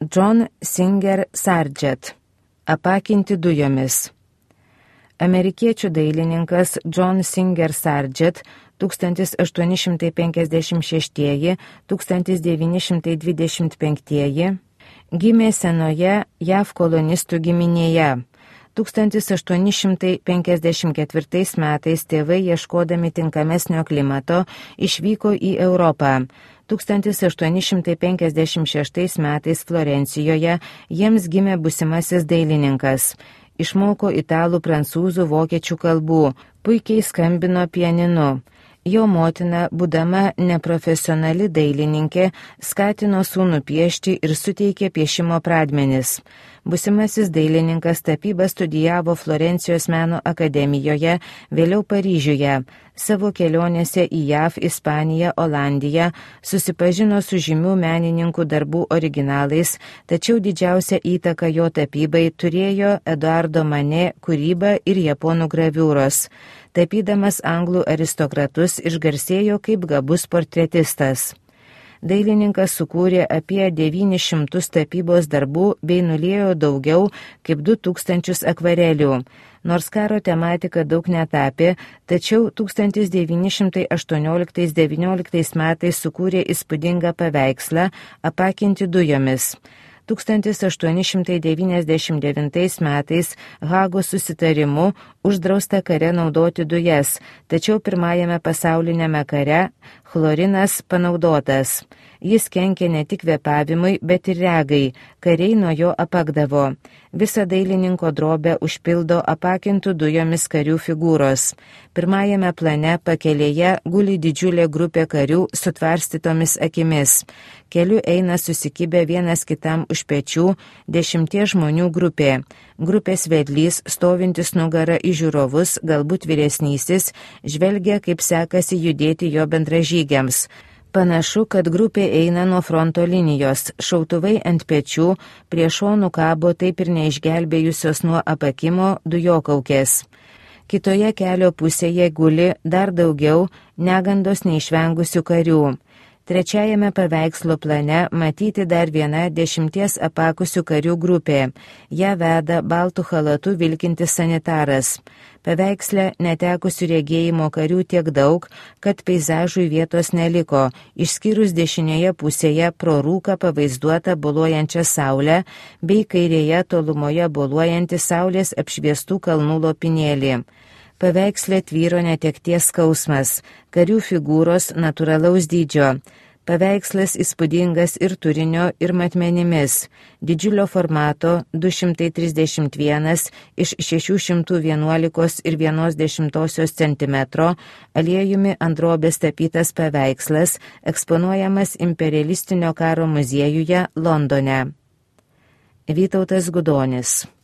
John Singer Sargent. Apakinti dujomis. Amerikiečių dailininkas John Singer Sargent 1856–1925 gimė senoje JAV kolonistų giminėje. 1854 metais tėvai, ieškodami tinkamesnio klimato, išvyko į Europą. 1856 metais Florencijoje jiems gimė būsimasis dailininkas. Išmoko italų, prancūzų, vokiečių kalbų, puikiai skambino pianinu. Jo motina, būdama neprofesionali dailininkė, skatino sūnų piešti ir suteikė piešimo pradmenis. Būsimasis dailininkas tapybą studijavo Florencijos meno akademijoje, vėliau Paryžiuje. Savo kelionėse į JAV, Ispaniją, Olandiją susipažino su žymių menininkų darbų originalais, tačiau didžiausią įtaką jo tapybai turėjo Eduardo Manet kūryba ir japonų graviūros. Tapydamas anglų aristokratus išgarsėjo kaip gabus portretistas. Dailininkas sukūrė apie 900 tapybos darbų bei nuliejo daugiau kaip 2000 akvarelių. Nors karo tematika daug netapė, tačiau 1918–19 metais sukūrė įspūdingą paveikslą Apakinti dujomis. 1899 metais Hagos susitarimu uždrausta kare naudoti dujas, tačiau pirmajame pasaulinėme kare chlorinas panaudotas. Jis kenkė ne tik kvėpavimui, bet ir regai, kariai nuo jo apakdavo. Visą dailininko drobę užpildo apakintų dujomis karių figūros. Pirmajame plane pakelėje guli didžiulė grupė karių su tvarstytomis akimis. Keliu eina susikibę vienas kitam už pečių 10 žmonių grupė. Grupės vedlys, stovintis nugarą į žiūrovus, galbūt vyresnysis, žvelgia, kaip sekasi judėti jo bendražygiams. Panašu, kad grupė eina nuo fronto linijos, šautuvai ant pečių, prie šonų kabo taip ir neišgelbėjusios nuo apakimo dujokaukės. Kitoje kelio pusėje guli dar daugiau negandos neišvengusių karių. Trečiajame paveikslo plane matyti dar viena 10 apakusių karių grupė. Ja veda baltų chalatu vilkintis sanitaras. Paveiksle netekusių regėjimo karių tiek daug, kad peizažui vietos neliko, išskyrus dešinėje pusėje pro rūką pavaizduotą boluojančią saulę, bei kairėje tolumoje boluojantį saulės apšviestų kalnų lopinėlį. Paveiksle tvyro netekties skausmas, karių figūros natūralaus dydžio. Paveikslas įspūdingas ir turinio, ir matmenimis. Didžiulio formato 231 iš 611,1 cm aliejumi ant drobės tapytas paveikslas eksponuojamas imperialistinio karo muziejuje Londone. Vytautas Gudonis.